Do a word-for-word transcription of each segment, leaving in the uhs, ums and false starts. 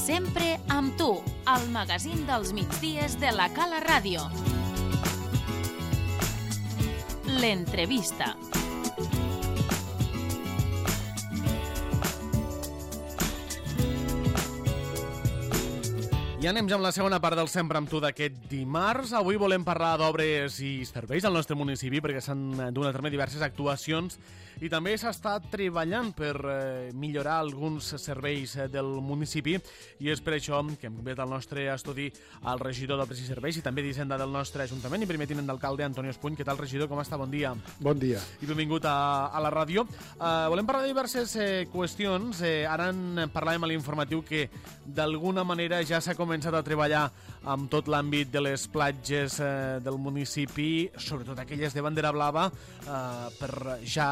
Sempre amb tu, al magazín dels migdies de la Cala Ràdio. L'entrevista. I anem ja amb la segona part del Sempre amb tu d'aquest dimarts. Avui volem parlar d'obres i serveis al nostre municipi perquè s'han donat a terme diverses actuacions i també s'està treballant per eh, millorar alguns serveis eh, del municipi i és per això que hem convidat al nostre estudi al regidor d'Obres i Serveis i també d'Hisenda del nostre Ajuntament i primer tinent d'alcalde Antonio Espuny. Què tal, regidor? Com està? Bon dia. Bon dia. I benvingut a, a la ràdio. Uh, volem parlar de diverses eh, qüestions. Eh, ara en parlàvem a l'informatiu que d'alguna manera ja s'ha començat a treballar amb tot l'àmbit de les platges eh, del municipi, sobretot aquelles de bandera blava, eh, per ja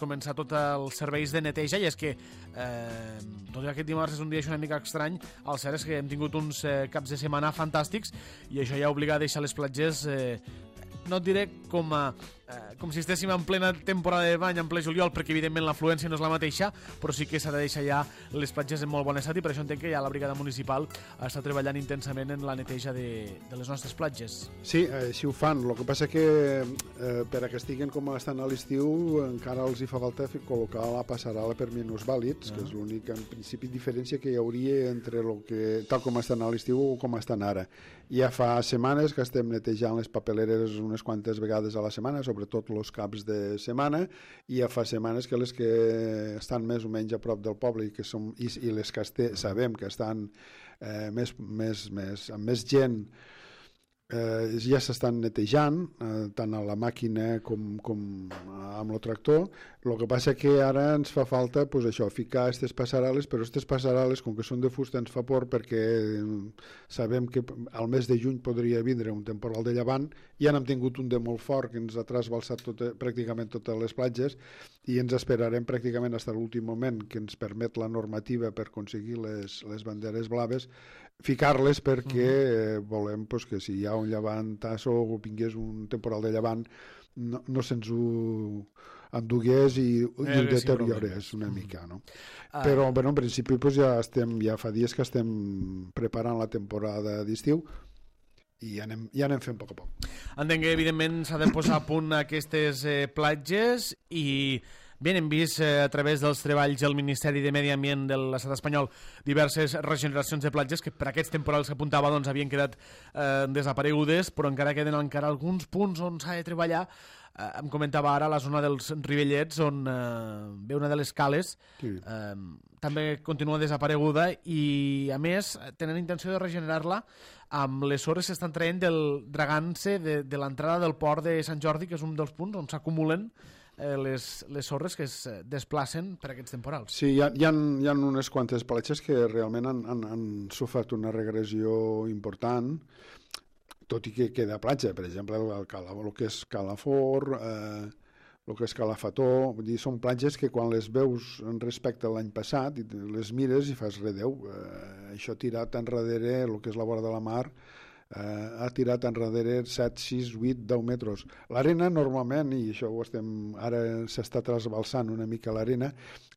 començar tots els serveis de neteja. I és que, eh, tot i aquest dimarts és un dia una mica estrany, el cert és que hem tingut uns eh, caps de setmana fantàstics i això ja obliga a deixar les platges, eh, no et diré com a eh, com si estéssim en plena temporada de bany en ple juliol, perquè evidentment l'afluència no és la mateixa, però sí que s'ha de deixar ja les platges en molt bon estat i per això entenc que ja la brigada municipal està treballant intensament en la neteja de, de les nostres platges. Sí, així ho fan. El que passa que eh, per a que estiguen com estan a l'estiu encara els hi fa falta col·locar la passarel·la per minusvàlids, ah. que és l'única en principi diferència que hi hauria entre lo que, tal com estan a l'estiu o com estan ara. Ja fa setmanes que estem netejant les papeleres unes quantes vegades a la setmana, sobretot els caps de setmana, i ja fa setmanes que les que estan més o menys a prop del poble i, que som, i, i les que este, sabem que estan eh, més, més, més, amb més gent eh, ja s'estan netejant, eh, tant a la màquina com, com amb el tractor. El que passa que ara ens fa falta pues, això, ficar aquestes passarel·les, però aquestes passarel·les, com que són de fusta, ens fa por perquè sabem que al mes de juny podria vindre un temporal de llevant. Ja n'hem tingut un de molt fort que ens ha trasbalsat tot, pràcticament totes les platges i ens esperarem pràcticament fins a l'últim moment que ens permet la normativa per aconseguir les, les banderes blaves, ficar-les perquè eh, volem pues, que si hi ha un llevantàs o vingués un temporal de llevant no, no se'ns ho endugués i, i ho deteriorés una mica, no? Ah. Però, però en principi pues, ja, estem, ja fa dies que estem preparant la temporada d'estiu i ja anem, ja anem fent a poc a poc. Entenc que evidentment s'ha de posar a punt aquestes eh, platges i bé, hem vist eh, a través dels treballs del Ministeri de Medi Ambient de l'estat espanyol diverses regeneracions de platges que per aquests temporals que apuntava doncs, havien quedat eh, desaparegudes, però encara queden encara alguns punts on s'ha de treballar. Eh, em comentava ara la zona dels Rivellets on eh, ve una de les cales, sí. eh, també continua desapareguda i a més tenen intenció de regenerar-la amb les sorres que estan traient del dragant-se de, de l'entrada del port de Sant Jordi, que és un dels punts on s'acumulen eh, les, les sorres que es desplacen per aquests temporals. Sí, hi ha, hi ha, hi ha unes quantes platges que realment han, han, han sofert una regressió important, tot i que queda platja, per exemple, el, el, el que és Calafort, eh, el que és Calafató, vull dir, són platges que quan les veus respecte a l'any passat, les mires i fas redeu, eh, això tirat enrere, el que és la vora de la mar, eh, ha tirat enrere set, sis, vuit, deu metres. L'arena normalment, i això ho estem, ara s'està trasbalsant una mica l'arena,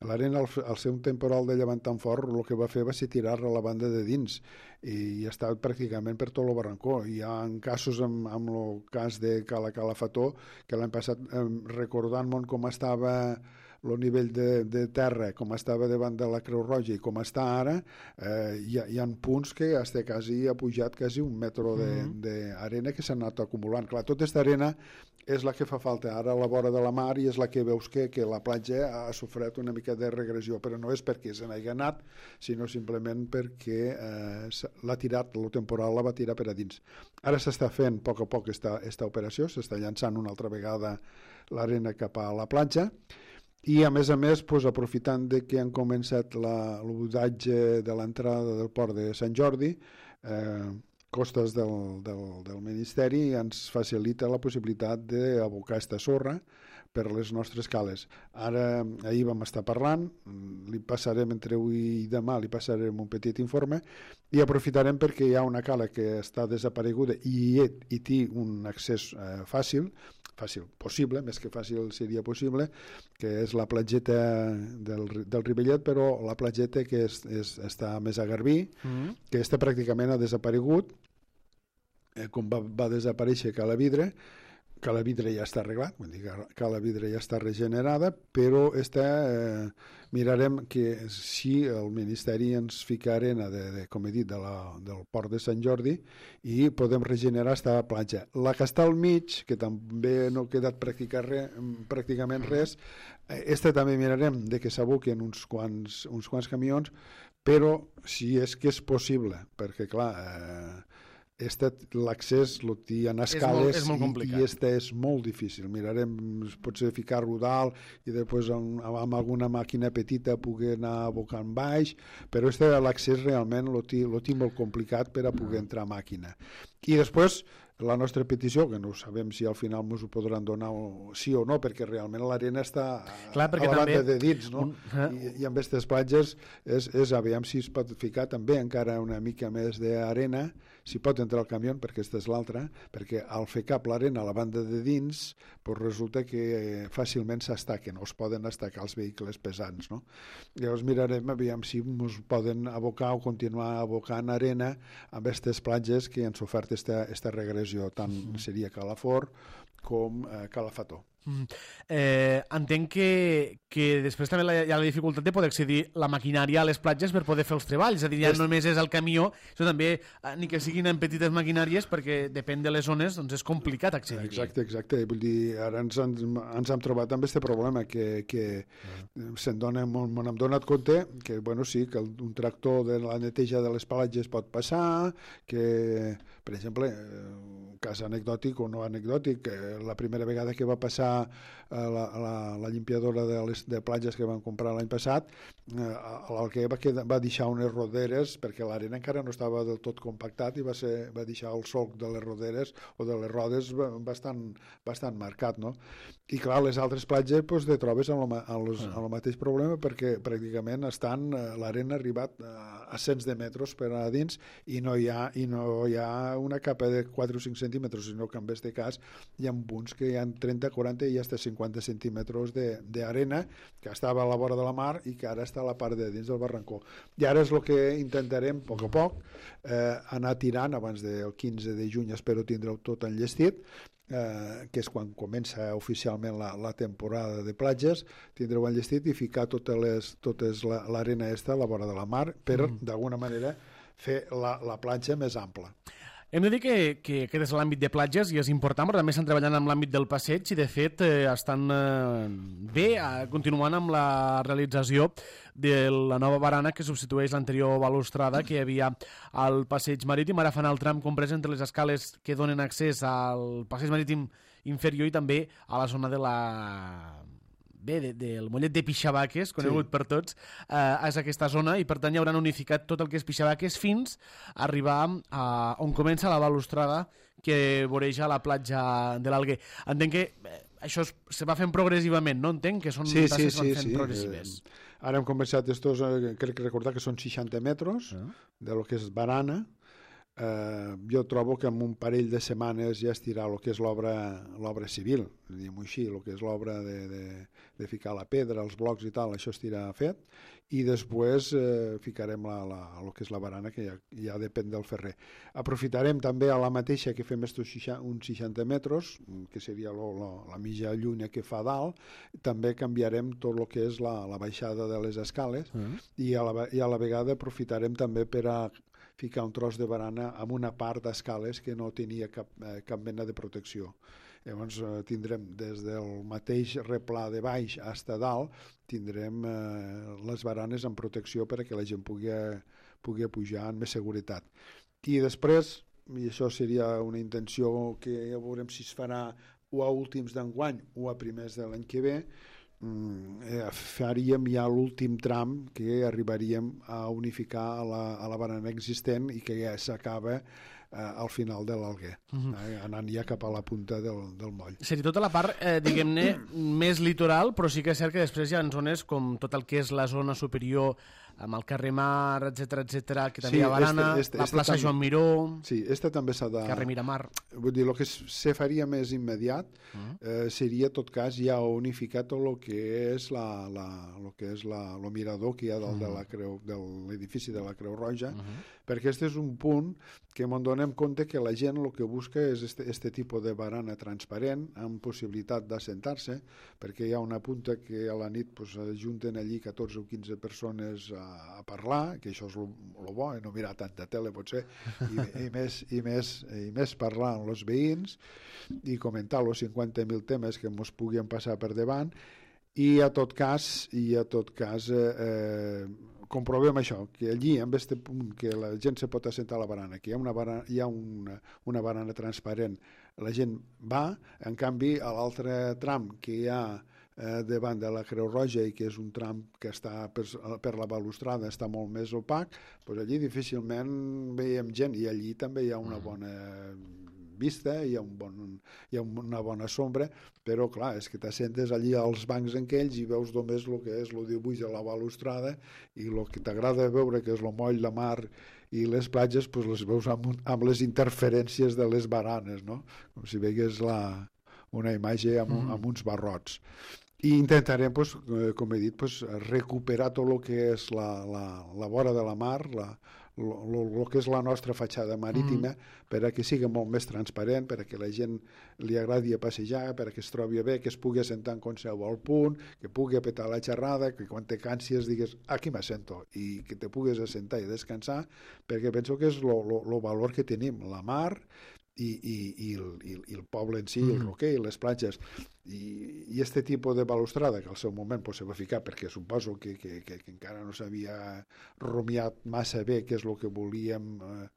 l'arena al, al ser un temporal de llevant tan fort, el que va fer va ser tirar-la a la banda de dins i ha estat pràcticament per tot el barrancó. Hi ha casos amb, amb el cas de Cala Calafató, que l'any passat, eh, recordant-me com estava el nivell de, de terra, com estava davant de la Creu Roja i com està ara, eh, hi, ha, hi ha punts que hasta quasi ha pujat quasi un metro d'arena mm-hmm. que s'ha anat acumulant. Clar, tota aquesta arena és la que fa falta ara a la vora de la mar i és la que veus que, que la platja ha sofert una mica de regressió, però no és perquè se n'hagi anat, sinó simplement perquè eh, l'ha tirat, el temporal la va tirar per a dins. Ara s'està fent a poc a poc esta, esta operació, s'està llançant una altra vegada l'arena cap a la platja, i a més a més, pues, aprofitant de que han començat el budatge de l'entrada del port de Sant Jordi, eh, costes del, del, del Ministeri ens facilita la possibilitat d'abocar aquesta sorra per les nostres cales. Ara, ahir vam estar parlant, li passarem entre avui i demà, li passarem un petit informe i aprofitarem perquè hi ha una cala que està desapareguda i, i té un accés eh, fàcil, fàcil, possible, més que fàcil seria possible, que és la platgeta del, del Rivellet, però la platgeta que és, és, està més a Garbí, mm. que està pràcticament ha desaparegut, eh, com va, va desaparèixer Cala Vidre. Cala Vidre ja està arreglat, vull dir, Cala Vidre ja està regenerada, però està, eh, mirarem que si el Ministeri ens fica arena, de, de, com he dit, de la, del port de Sant Jordi i podem regenerar aquesta platja. La que està al mig, que també no ha quedat res, pràcticament res, aquesta també mirarem de que s'aboquen uns quants, uns quants camions, però si és que és possible, perquè clar... Eh, l'accés lo té en escales és molt, és molt i, i este és molt difícil. Mirarem, potser ficar-lo dalt i després amb, amb alguna màquina petita poder anar abocant baix, però este l'accés realment lo té, lo té molt complicat per a poder entrar a màquina. I després la nostra petició, que no sabem si al final ens ho podran donar o, sí o no, perquè realment l'arena està Clar, a la banda de dins, no? Un... Eh? I, i amb aquestes platges és, és aviam si es pot ficar també encara una mica més d'arena, si pot entrar el camió, perquè aquesta és l'altra, perquè al fer cap l'arena a la banda de dins, pues resulta que fàcilment s'estaquen, o es poden estacar els vehicles pesants, no? Llavors mirarem aviam si ens poden abocar o continuar abocant arena amb aquestes platges que ens oferta esta, esta regressió, tant seria Calafort com eh, Calafató. Mm. Eh, entenc que, que després també hi ha la dificultat de poder accedir la maquinària a les platges per poder fer els treballs, és a dir, ja no només és el camió, això també, eh, ni que siguin en petites maquinàries, perquè depèn de les zones, doncs és complicat accedir. Exacte, exacte, vull dir, ara ens, ens, ens hem trobat amb aquest problema que, que mm. se'n dona, m'hem donat compte que, bueno, sí, que un tractor de la neteja de les platges pot passar, que, per exemple, un cas anecdòtic o no anecdòtic, la primera vegada que va passar la, la, la limpiadora de, les, de platges que vam comprar l'any passat, eh, el que va, quedar, va deixar unes roderes perquè l'arena encara no estava del tot compactat i va, ser, va deixar el solc de les roderes o de les rodes bastant, bastant marcat, no? I clar, les altres platges pues, te trobes amb el, amb, els, amb el mateix problema perquè pràcticament estan, l'arena ha arribat a cents de metres per a dins i no hi ha, i no hi ha una capa de quatre o cinc centímetres, sinó que en aquest cas hi ha punts que hi ha trenta, quaranta i fins a cinquanta centímetres d'arena que estava a la vora de la mar i que ara està a la part de dins del barrancó. I ara és el que intentarem, a poc a poc, eh, anar tirant abans del quinze de juny, espero tindre-ho tot enllestit, eh, que és quan comença oficialment la, la temporada de platges, tindreu enllestit i ficar totes les, totes l'arena esta a la vora de la mar per, mm. d'alguna manera, fer la, la platja més ampla. Hem de dir que, que aquest és l'àmbit de platges i és important, però també estan treballant amb l'àmbit del passeig i, de fet, eh, estan eh, bé eh, continuant amb la realització de la nova barana que substitueix l'anterior balustrada que hi havia al passeig marítim. Ara fan el tram comprès entre les escales que donen accés al passeig marítim inferior i també a la zona de la... bé, de, del mollet de Pixabaques, conegut sí. per tots, eh, és aquesta zona i per tant hi hauran unificat tot el que és Pixabaques fins a arribar a on comença la balustrada que voreja la platja de l'Alguer. Entenc que eh, això es, se va fent progressivament, no? Entenc que són sí, tasses sí, van sí, fent sí. progressives. Eh, ara hem començat estos, eh, crec que recordar que són seixanta metres ah. de lo que és barana. Eh, jo trobo que en un parell de setmanes ja estirà el que és l'obra civil, diguem-ho així, el que és l'obra de, de, de ficar la pedra, els blocs i tal, això estirà fet, i després eh, ficarem la, la, el que és la barana, que ja, ja depèn del ferrer. Aprofitarem també a la mateixa que fem estos uns seixanta metres, que seria lo, lo, la mitja llunya que fa dalt, també canviarem tot el que és la, la baixada de les escales, mm. i, a la, i a la vegada aprofitarem també per a ficar un tros de barana amb una part d'escales que no tenia cap, eh, cap mena de protecció. Llavors eh, tindrem des del mateix replà de baix fins a dalt, tindrem eh, les baranes amb protecció perquè la gent pugui, pugui pujar amb més seguretat. I després, i això seria una intenció que ja veurem si es farà o a últims d'enguany o a primers de l'any que ve, Eh, faríem ja l'últim tram que arribaríem a unificar a la, a la barana existent i que ja s'acaba al final de l'Alguer, uh-huh. eh, anant ja cap a la punta del, del moll. Seria tota la part, eh, diguem-ne, més litoral, però sí que és cert que després hi ha zones com tot el que és la zona superior, amb el carrer Mar, etcètera, etcètera, que també sí, hi ha Barana, este, este, la plaça este Joan Miró, sí, este també s'ha de... carrer Miramar. Vull dir, el que se faria més immediat uh-huh. eh, seria, en tot cas, ja unificar tot el que és la, la, lo que és la, lo mirador que hi ha dalt uh-huh. de la creu, de l'edifici de la Creu Roja, uh-huh. perquè este és un punt que ens donem compte que la gent el que busca és este, este tipus de barana transparent, amb possibilitat d'assentar-se, perquè hi ha una punta que a la nit pues, junten allí catorze o quinze persones a, a parlar, que això és el bo, eh? No mirar tanta tele potser, i, i, més, i, més, i més parlar amb els veïns i comentar els cinquanta mil temes que ens puguin passar per davant, i a tot cas, i a tot cas eh, eh, comprovem això, que allí, en aquest punt que la gent se pot assentar a la barana, que hi ha una barana, hi ha una, una barana transparent, la gent va, en canvi, a l'altre tram que hi ha eh, davant de la Creu Roja i que és un tram que està per, per la balustrada, està molt més opac, doncs allí difícilment veiem gent, i allí també hi ha una bona vista, hi ha, un bon, hi ha una bona sombra, però clar, és que t'assentes allí als bancs en aquells i veus només el que és el dibuix de la balustrada, i el que t'agrada veure, que és el moll, la mar i les platges, doncs les veus amb, amb les interferències de les baranes, no? Com si veigués la, una imatge amb, mm. amb uns barrots. I intentarem, doncs, com he dit, doncs, recuperar tot el que és la, la, la vora de la mar, la, el que és la nostra fatxada marítima, mm. per a que sigui molt més transparent, per a que la gent li agradi a passejar, per a que es trobi bé, que es pugui assentar en qualsevol punt, que pugui apetar la xerrada, que quan te cansis digues aquí m'assento, i que te puguis assentar i descansar, perquè penso que és el valor que tenim, la mar i, i, i, el, i, i el poble en si, mm. el roquer i les platges, i, i este tipus de balustrada que al seu moment pues, se va ficar perquè suposo que, que, que, que encara no s'havia rumiat massa bé què és el que volíem eh,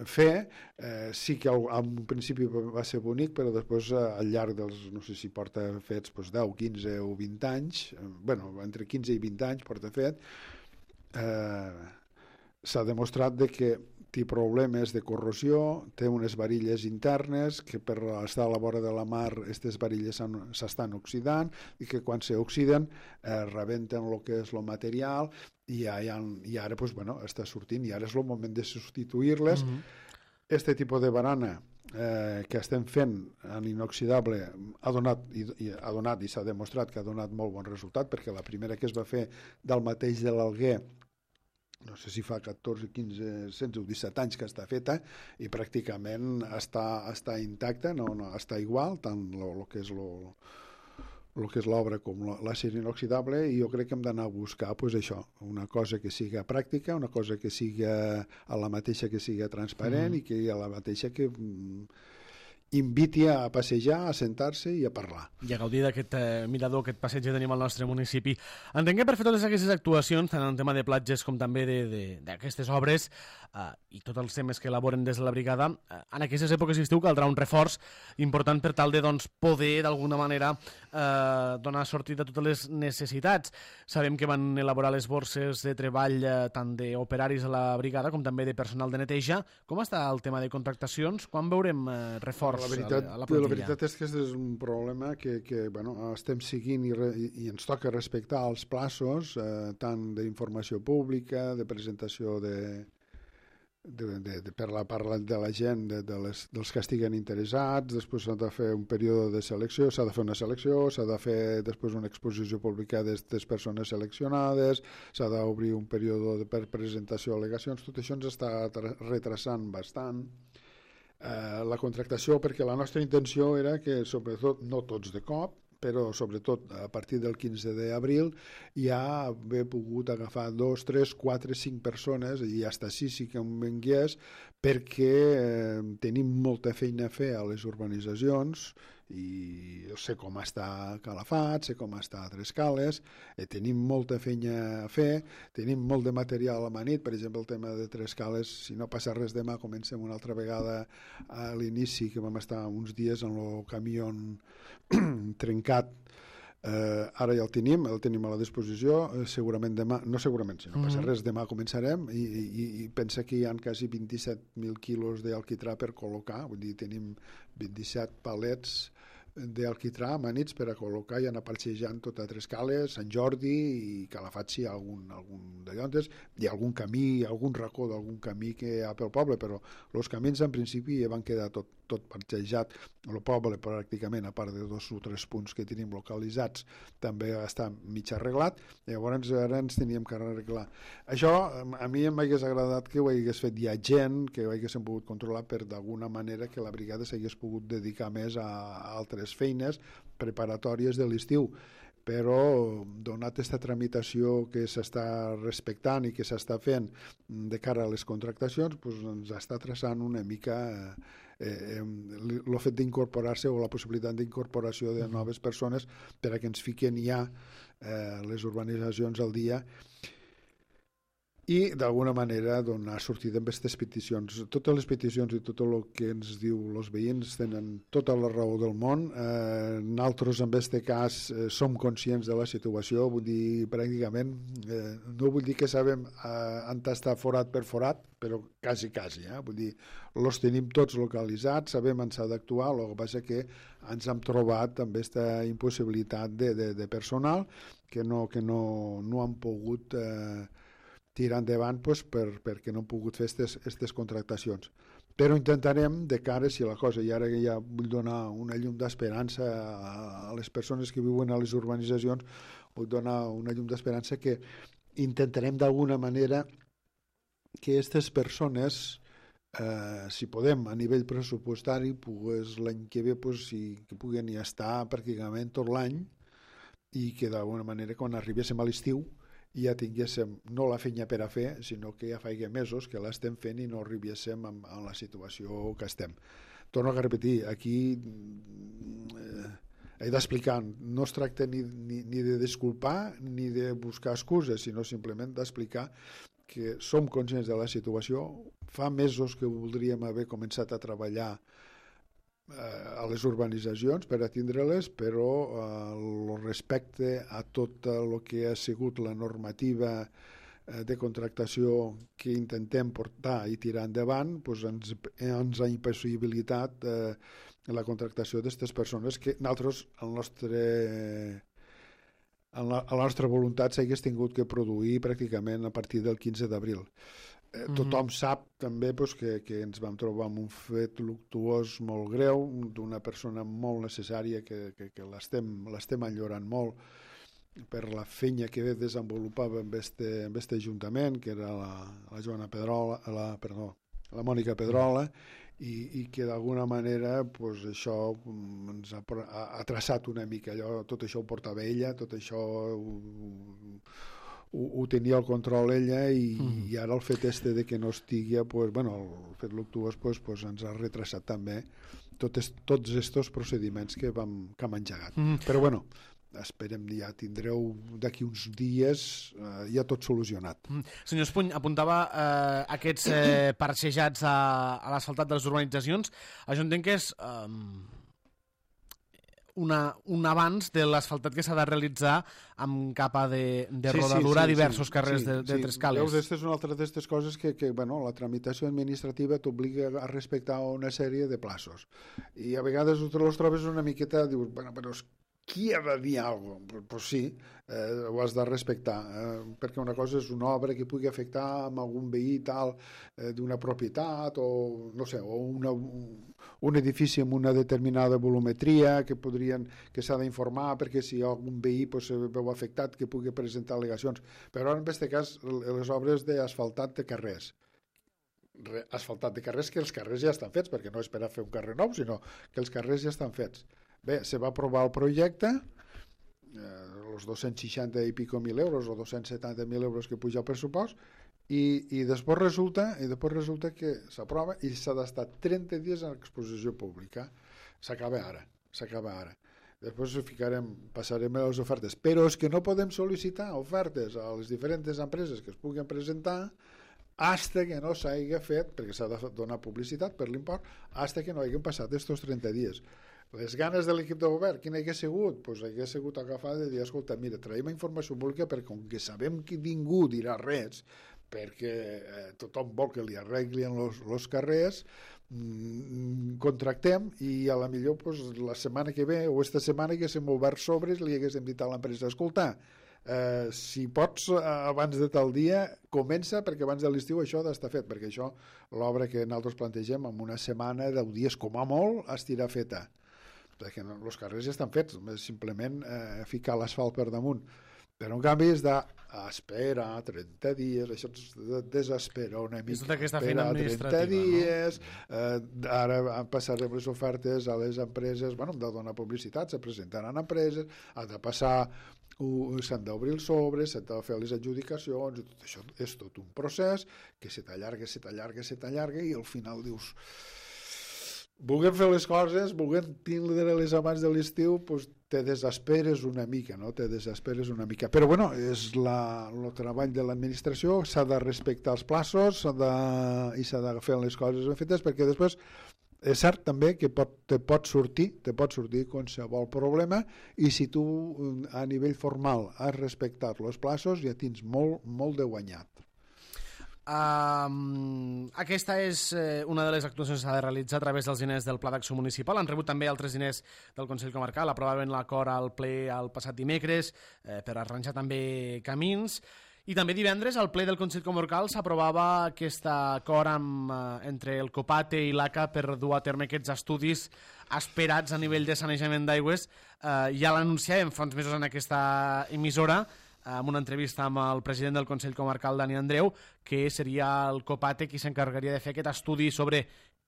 fer, eh, sí que al, al principi va ser bonic, però després eh, al llarg dels, no sé si porta fets pues, deu, quinze o vint anys, eh, bueno, entre quinze i vint anys porta fet, eh, s'ha demostrat de que té problemes de corrosió, té unes varilles internes que per estar a la vora de la mar aquestes varilles s'estan oxidant i que quan s'oxiden eh, rebenten el que és el material i, ja, ja, i ara pues, bueno, està sortint i ara és el moment de substituir-les. Mm-hmm. Este tipus de barana eh, que estem fent en inoxidable ha donat i, i, ha donat, i s'ha demostrat que ha donat molt bon resultat, perquè la primera que es va fer del mateix de l'Alguer, no sé si fa catorze, quinze, setze o disset anys que està feta i pràcticament està, està intacta, no, no, està igual, tant el que és lo, lo que és l'obra com l'acer inoxidable, i jo crec que hem d'anar a buscar pues, això, una cosa que siga pràctica, una cosa que siga a la mateixa que siga transparent mm. i que a la mateixa que inviti a passejar, a sentar-se i a parlar. I a gaudir d'aquest eh, mirador, aquest passeig que tenim al nostre municipi. Entenc que per fer totes aquestes actuacions, tant en tema de platges com també d'aquestes obres, eh, i tots els temes que elaboren des de la brigada, eh, en aquestes èpoques d'estiu caldrà un reforç important per tal de doncs, poder, d'alguna manera, eh, donar sortida a totes les necessitats. Sabem que van elaborar les borses de treball eh, tant d'operaris a la brigada com també de personal de neteja. Com està el tema de contractacions? Quan veurem eh, reforç? La veritat, a la, a la, la veritat és que aquest és un problema que, que bueno, estem seguint i, re, i ens toca respectar els plaços, eh, tant d'informació pública, de presentació de, de, de, de, per la part de la gent, de, de les, dels que estiguen interessats, després s'ha de fer un període de selecció, s'ha de fer una selecció, s'ha de fer després una exposició pública d'aquestes persones seleccionades, s'ha d'obrir un període de, per presentació d'al·legacions, tot això ens està retrasant bastant. Uh, la contractació, perquè la nostra intenció era que, sobretot, no tots de cop, però sobretot a partir del quinze d'abril ja haver pogut agafar dos, tres, quatre, cinc persones i hasta sis si que em vengués, perquè eh, tenim molta feina a fer a les urbanitzacions i sé com està Calafat, sé com està Trescales, eh, tenim molta feina a fer, tenim molt de material a la nit, per exemple el tema de Trescales, si no passa res demà comencem una altra vegada a l'inici, que vam estar uns dies en el camió trencat Eh, ara ja el tenim, el tenim a la disposició, eh, segurament demà, no segurament, si no passa Mhm. res, demà començarem, i, i, i pensa que hi ha quasi vint-i-set mil quilos d'alquitrà per col·locar, vull dir, tenim vint-i-set palets d'alquitrà amanits per a col·locar i anar parxejant tot a Tres Cales, Sant Jordi i Calafats si hi ha algun, algun de llontes, hi ha algun camí, algun racó d'algun camí que hi ha pel poble, però els camins en principi ja van quedar tot, tot parxejat. El poble pràcticament, a part de dos o tres punts que tenim localitzats, també està mig arreglat, llavors ara ens teníem que arreglar. Això a mi m'hagués agradat que ho hagués fet ja gent, que ho haguéssim pogut controlar per d'alguna manera que la brigada s'hagués pogut dedicar més a, a altres feines preparatòries de l'estiu, però donat aquesta tramitació que s'està respectant i que s'està fent de cara a les contractacions, doncs ens està traçant una mica eh, el fet d'incorporar-se o la possibilitat d'incorporació de noves persones per a que ens fiquen ja eh, les urbanitzacions al dia i d'alguna manera donar sortida amb aquestes peticions. Totes les peticions i tot el que ens diu els veïns tenen tota la raó del món. Eh, nosaltres en aquest cas eh, som conscients de la situació, vull dir, pràcticament, eh, no vull dir que sabem eh, entastar forat per forat, però quasi, quasi, eh? Vull dir, els tenim tots localitzats, sabem on s'ha d'actuar, el que passa que ens hem trobat amb aquesta impossibilitat de, de, de personal que no, que no, no han pogut eh, tirar endavant pues, per, perquè no han pogut fer aquestes contractacions. Però intentarem, de cara, si la cosa, i ara que ja vull donar una llum d'esperança a, a les persones que viuen a les urbanitzacions, vull donar una llum d'esperança que intentarem d'alguna manera que aquestes persones, eh, si podem, a nivell pressupostari, pues, l'any que ve pues, si, que puguen hi estar pràcticament tot l'any i que d'alguna manera quan arribéssim a l'estiu ja tinguéssim no la feina per a fer, sinó que ja faig mesos que l'estem fent i no arribéssim en, en la situació que estem. Torno a repetir, aquí eh, he d'explicar, no es tracta ni, ni, ni de disculpar ni de buscar excuses, sinó simplement d'explicar que som conscients de la situació. Fa mesos que voldríem haver començat a treballar a les urbanitzacions per atendre-les, però el respecte a tot el que ha sigut la normativa de contractació que intentem portar i tirar endavant doncs ens, ens ha impossibilitat eh, la contractació d'aquestes persones que nosaltres, el nostre, la, la nostra voluntat s'hagués tingut que produir pràcticament a partir del quinze d'abril. Eh, tothom mm-hmm. sap també pues, que, que ens vam trobar amb un fet luctuós molt greu d'una persona molt necessària que, que, que l'estem l'estem enllorant molt per la feina que desenvolupava amb este, amb este ajuntament, que era la, la Joana Pedrola, la, perdó, la Mònica Pedrola, i, i que d'alguna manera pues, això ens ha, ha, ha traçat una mica allò, tot això ho portava ella, tot això ho, Ho, ho tenia el control ella i, mm. i ara el fet este de que no estigui pues, bueno, el fet luctuós pues, pues, ens ha retrasat també totes, tots estos procediments que vam, que hem engegat. Mm. Però bueno, esperem ja tindreu d'aquí uns dies eh, ja tot solucionat. Mm. Senyor Espuny, apuntava eh, aquests eh, parxejats a, a l'asfaltat de les urbanitzacions. Això entenc que és eh, Una, un abans de l'asfaltat que s'ha de realitzar amb capa de, de rodadura a sí, sí, sí, diversos sí, carrers sí, de, de sí. Tres Cales. Veus, aquesta és una altra d'aquestes coses que, que bueno, la tramitació administrativa t'obliga a respectar una sèrie de plaços. I a vegades te los trobes una miqueta, dius, bueno, però qui ha de dir alguna cosa? Pues, pues sí, eh, ho has de respectar, eh, perquè una cosa és una obra que pugui afectar amb algun veí tal eh, d'una propietat o, no sé, o una, un, un edifici amb una determinada volumetria que podrien que s'ha d'informar perquè si algun veí pues, se veu afectat que pugui presentar al·legacions. Però en aquest cas les obres d'asfaltat de carrers asfaltat de carrers que els carrers ja estan fets, perquè no és per a fer un carrer nou, sinó que els carrers ja estan fets. Bé, se va aprovar el projecte, eh, els dos-cents seixanta i pico mil euros o dos-cents setanta mil euros que puja el pressupost, i, i després resulta i després resulta que s'aprova i s'ha d'estar trenta dies en exposició pública. S'acaba ara, s'acaba ara. Després ficarem, passarem a les ofertes, però és que no podem sol·licitar ofertes a les diferents empreses que es puguin presentar hasta que no s'hagi fet, perquè s'ha de donar publicitat per l'import, hasta que no hagin passat estos trenta dies. Les ganes de l'equip de govern, quina hagués sigut? Doncs pues hagués sigut agafada i dir, escolta, mira, traiem informació pública perquè com que sabem que ningú dirà res, perquè eh, tothom vol que li arreglin els carrers, mm, contractem i a la millor pues, la setmana que ve o esta setmana haguéssim obert sobres i li haguéssim dit a l'empresa, escolta, eh, si pots abans de tal dia comença perquè abans de l'estiu això ha d'estar fet, perquè això l'obra que nosaltres plantegem en una setmana, deu dies com a molt estirà feta, perquè no, els carrers ja estan fets, simplement eh, ficar l'asfalt per damunt, però en canvi és d'esperar trenta dies, això ens desespera una mica, és tota aquesta feina administrativa, trenta dies, no? eh, ara passarem les ofertes a les empreses, bueno, hem de donar publicitat, se presentaran empreses, ha de passar, s'han d'obrir els sobres, s'han de fer les adjudicacions, tot això és tot un procés que se t'allarga, se t'allarga, se t'allarga i al final dius... Volguem fer les coses, volguem tindre-les abans de l'estiu, doncs te desesperes una mica, no? Te desesperes una mica. Però, bueno, és la, el treball de l'administració, s'ha de respectar els plaços s'ha de, i s'ha de fer les coses ben fetes, perquè després és cert també que pot, te pot sortir, te pot sortir qualsevol problema i si tu a nivell formal has respectat els plaços ja tens molt, molt de guanyat. Um, aquesta és eh, una de les actuacions que s'ha de realitzar a través dels diners del Pla d'Acció Municipal. Han rebut també altres diners del Consell Comarcal, aprovaven l'acord al ple el passat dimecres eh, per arranjar també camins. I també divendres al ple del Consell Comarcal s'aprovava aquest acord amb, eh, entre el COPATE i l'A C A per dur a terme aquests estudis esperats a nivell de sanejament d'aigües. Eh, ja l'anunciàvem fa uns mesos en aquesta emissora, en una entrevista amb el president del Consell Comarcal, Dani Andreu, que seria el COPATE qui s'encarregaria de fer aquest estudi sobre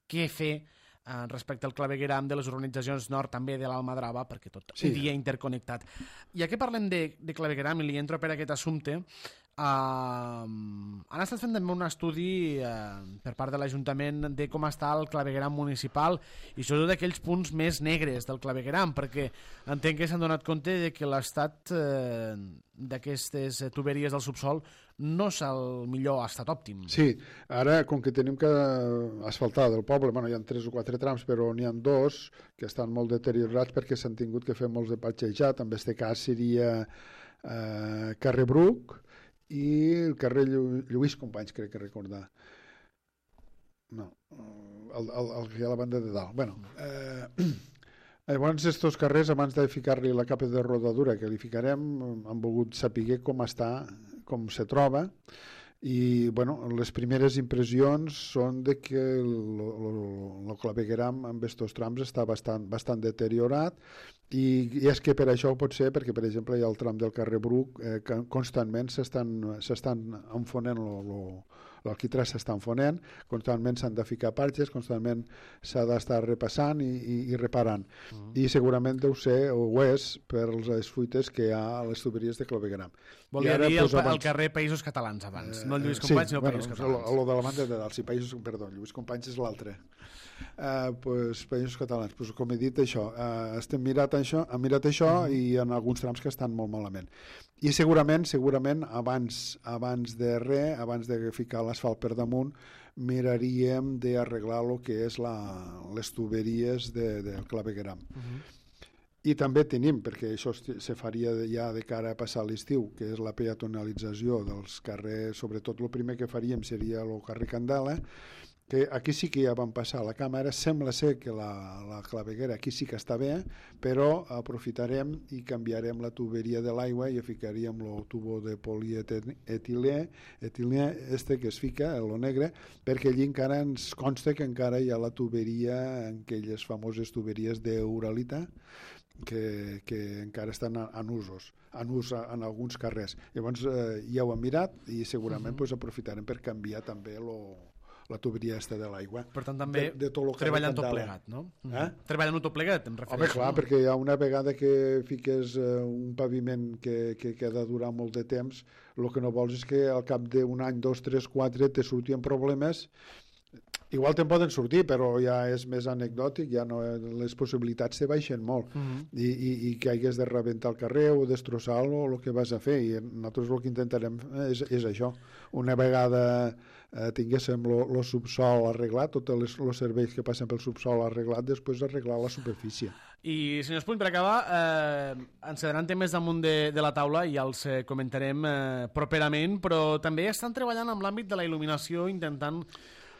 què fer eh, respecte al clavegueram de les urbanitzacions nord, també de l'Almadrava, perquè tot sí. Iria interconnectat. Ja que parlem de, de clavegueram i li entro per aquest assumpte, eh, han estat fent també un estudi eh, per part de l'Ajuntament de com està el clavegueram municipal i sobretot d'aquells punts més negres del clavegueram, perquè entenc que s'han donat compte de que l'estat eh, d'aquestes tuberies del subsol no és el millor estat òptim. Sí, ara com que tenim que asfaltar del poble, bueno, hi ha tres o quatre trams, però n'hi ha dos que estan molt deteriorats perquè s'han tingut que fer molts de patxejat. En aquest cas seria eh, carrer Bruc i el carrer Llu Lluís Companys, crec que recordar. No, el, el, el que hi ha a la banda de dalt. Bueno, eh, llavors, estos carrers, abans de ficar-li la capa de rodadura que li ficarem, han volgut saber com està, com se troba, i bueno, les primeres impressions són de que el clavegueram amb estos trams està bastant, bastant deteriorat, i, i és que per això pot ser, perquè per exemple hi ha el tram del carrer Bruc, eh, que constantment s'estan enfonent lo, lo, l'alquitrà s'està enfonent, constantment s'han de ficar parxes, constantment s'ha d'estar repassant i, i, i reparant. Uh-huh. I segurament deu ser, o ho és, per les fuites que hi ha a les tuberies de clavegueram. Volia dir el, abans... el carrer Països Catalans abans, eh, no el Lluís Companys, sí, sinó bueno, Països Catalans. El, el de la banda de dalt, sí, Països, perdó, Lluís Companys és l'altre. Uh, pues, Països Catalans, pues, com he dit això, uh, estem mirat això, hem mirat això uh-huh. i en alguns trams que estan molt malament. I segurament, segurament, abans, abans de res, abans de ficar l'asfalt per damunt, miraríem d'arreglar el que és la, les tuberies de, del clavegueram. Uh-huh. I també tenim, perquè això se faria ja de cara a passar l'estiu, que és la peatonalització dels carrers, sobretot el primer que faríem seria el carrer Candela, que aquí sí que ja van passar la càmera, sembla ser que la, la claveguera aquí sí que està bé, però aprofitarem i canviarem la tuberia de l'aigua i ficaríem el tubo de polietilè, etilè, este que es fica, el negre, perquè allí encara ens consta que encara hi ha la tuberia, aquelles famoses tuberies d'uralita, que, que encara estan en usos, en ús en alguns carrers. Llavors eh, ja ho hem mirat i segurament uh-huh. pues, aprofitarem per canviar també lo, la tuberia esta de l'aigua. Per tant, també de, de tot treballant tot plegat, no? Eh? Treballant tot plegat, em refereixo. Home, clar, no? Perquè hi ha una vegada que fiques uh, un paviment que, que, que ha de durar molt de temps, el que no vols és que al cap d'un any, dos, tres, quatre, te surtin problemes. Igual te'n poden sortir, però ja és més anecdòtic, ja no, les possibilitats se baixen molt. Uh-huh. I, i, i que hagués de rebentar el carrer o destrossar-lo, el que vas a fer. I nosaltres el que intentarem és, és això. Una vegada eh, tinguéssim el subsol arreglat, tots els serveis que passen pel subsol arreglat, després arreglar la superfície. I, senyor Espuny, per acabar, eh, ens quedaran temes damunt de, de la taula i ja els eh, comentarem eh, properament, però també estan treballant en l'àmbit de la il·luminació, intentant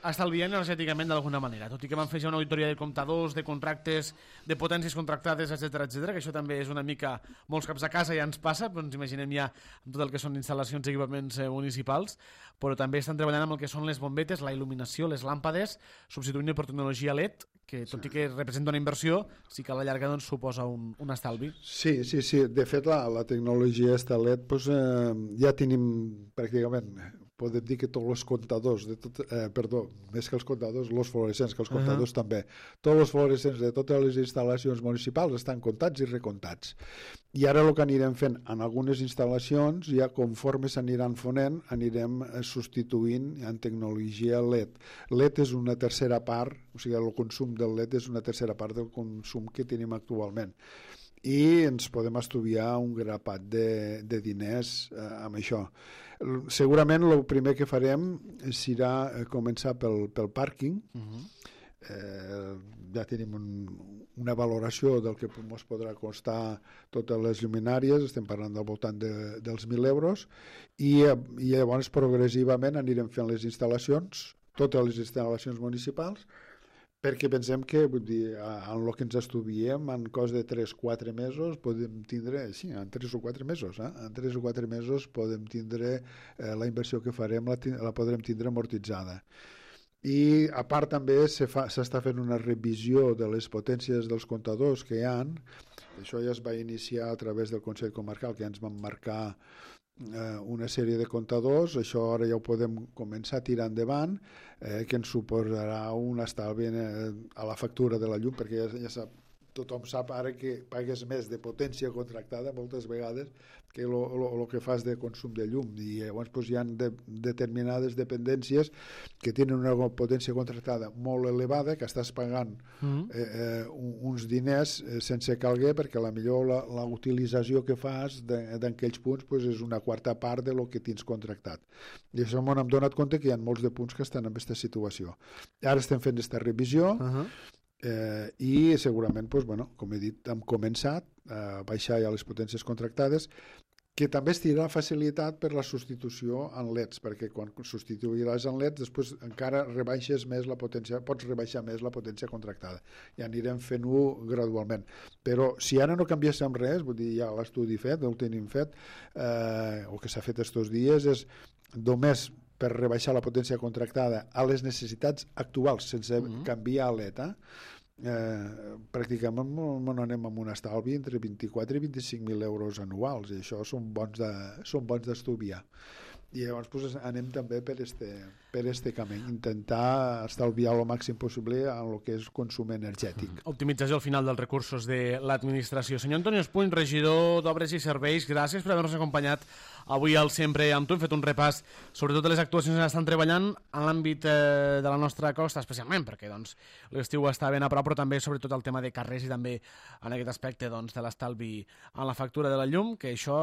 estalviar energèticament d'alguna manera, tot i que van fer ja una auditoria de comptadors, de contractes, de potències contractades, etcètera, etcètera, que això també és una mica, molts caps a casa ja ens passa, però ens imaginem ja amb tot el que són instal·lacions i equipaments eh, municipals, però també estan treballant amb el que són les bombetes, la il·luminació, les làmpades, substituint-ho per tecnologia L E D, que tot i que representa una inversió, sí que a la llarga doncs, suposa un, un estalvi. Sí, sí, sí. De fet, la, la tecnologia esta L E D doncs, eh, ja tenim pràcticament, podem dir que tots els comptadors, de tot, eh, perdó, més que els comptadors, els fluorescents, que els comptadors uh -huh. també, tots els fluorescents de totes les instal·lacions municipals estan comptats i recomptats. I ara el que anirem fent en algunes instal·lacions, ja conforme s'aniran fonent, anirem substituint en tecnologia L E D. L E D és una tercera part, o sigui, el consum del L E D és una tercera part del consum que tenim actualment. I ens podem estudiar un grapat de, de diners eh, amb això. Segurament el primer que farem serà començar pel, pel pàrquing. Uh-huh. eh, ja tenim un, una valoració del que ens podrà costar totes les lluminàries, estem parlant del voltant de, dels mil euros, i, i llavors progressivament anirem fent les instal·lacions, totes les instal·lacions municipals, perquè pensem que, vull dir, en el que ens estudiem, en cos de tres a quatre mesos, podem tindre, sí, en tres o quatre mesos, eh? en tres o quatre mesos podem tindre eh, la inversió que farem, la, la podrem tindre amortitzada. I a part també s'està fent una revisió de les potències dels comptadors que hi ha. Això ja es va iniciar a través del Consell Comarcal, que ja ens van marcar eh, una sèrie de comptadors. Això ara ja ho podem començar a tirar endavant, eh, que ens suposarà un estalvi eh, a la factura de la llum, perquè ja, ja sap, tothom sap ara que pagues més de potència contractada moltes vegades que el que fas de consum de llum, i llavors doncs, hi ha de, determinades dependències que tenen una potència contractada molt elevada, que estàs pagant mm. eh, eh, uns diners eh, sense calguer, perquè la millor la, la utilització que fas d'aquells punts doncs, és una quarta part de lo que tens contractat. I això m'hem donat compte que hi ha molts de punts que estan en aquesta situació. Ara estem fent aquesta revisió, uh-huh. Eh, i segurament, doncs, bueno, com he dit, hem començat a baixar ja les potències contractades, que també es tindrà facilitat per la substitució en L E Ds, perquè quan substituiràs en L E Ds després encara rebaixes més la potència, pots rebaixar més la potència contractada. I anirem fent-ho gradualment. Però si ara no canviéssim res, vull dir, ja l'estudi fet, el tenim fet, eh, el que s'ha fet estos dies és només per rebaixar la potència contractada a les necessitats actuals, sense mm-hmm. canviar L E D, eh? Eh, pràcticament no anem amb un estalvi entre vint-i-quatre i vint-i-cinc mil euros anuals, i això són bons de, són bons d'estudiar. I llavors pues, anem també per este, per este camí, intentar estalviar el màxim possible en el que és consum energètic. Mm. Optimització al final dels recursos de l'administració. Senyor Antonio Espuny, regidor d'Obres i Serveis, gràcies per haver-nos acompanyat avui al Sempre amb tu. Hem fet un repàs sobre totes les actuacions que estan treballant en l'àmbit eh, de la nostra costa, especialment perquè doncs, l'estiu està ben a prop, però també sobretot el tema de carrers i també en aquest aspecte doncs, de l'estalvi en la factura de la llum, que això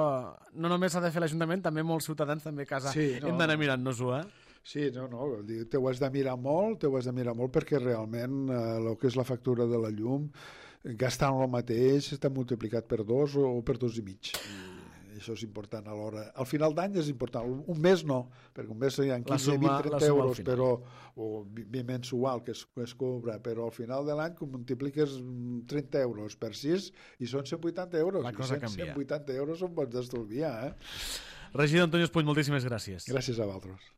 no només s'ha de fer l'Ajuntament, també molts ciutadans també a casa sí, no. hem d'anar mirant-nos-ho, eh? Sí, no, no, te ho has de mirar molt, te ho has de mirar molt perquè realment eh, el que és la factura de la llum, gastant el mateix, està multiplicat per dos o, o per dos i mig. I això és important a l'hora. Al final d'any és important, un mes no, perquè un mes hi ha quinze, vint, trenta euros, però, o bimensual que es, que es cobra, però al final de l'any multipliques trenta euros per sis i són cent vuitanta euros. La cosa canvia. cent vuitanta euros són bons d'estalviar, eh? Regidor Antonio Espuny, moltíssimes gràcies. Gràcies a vosaltres.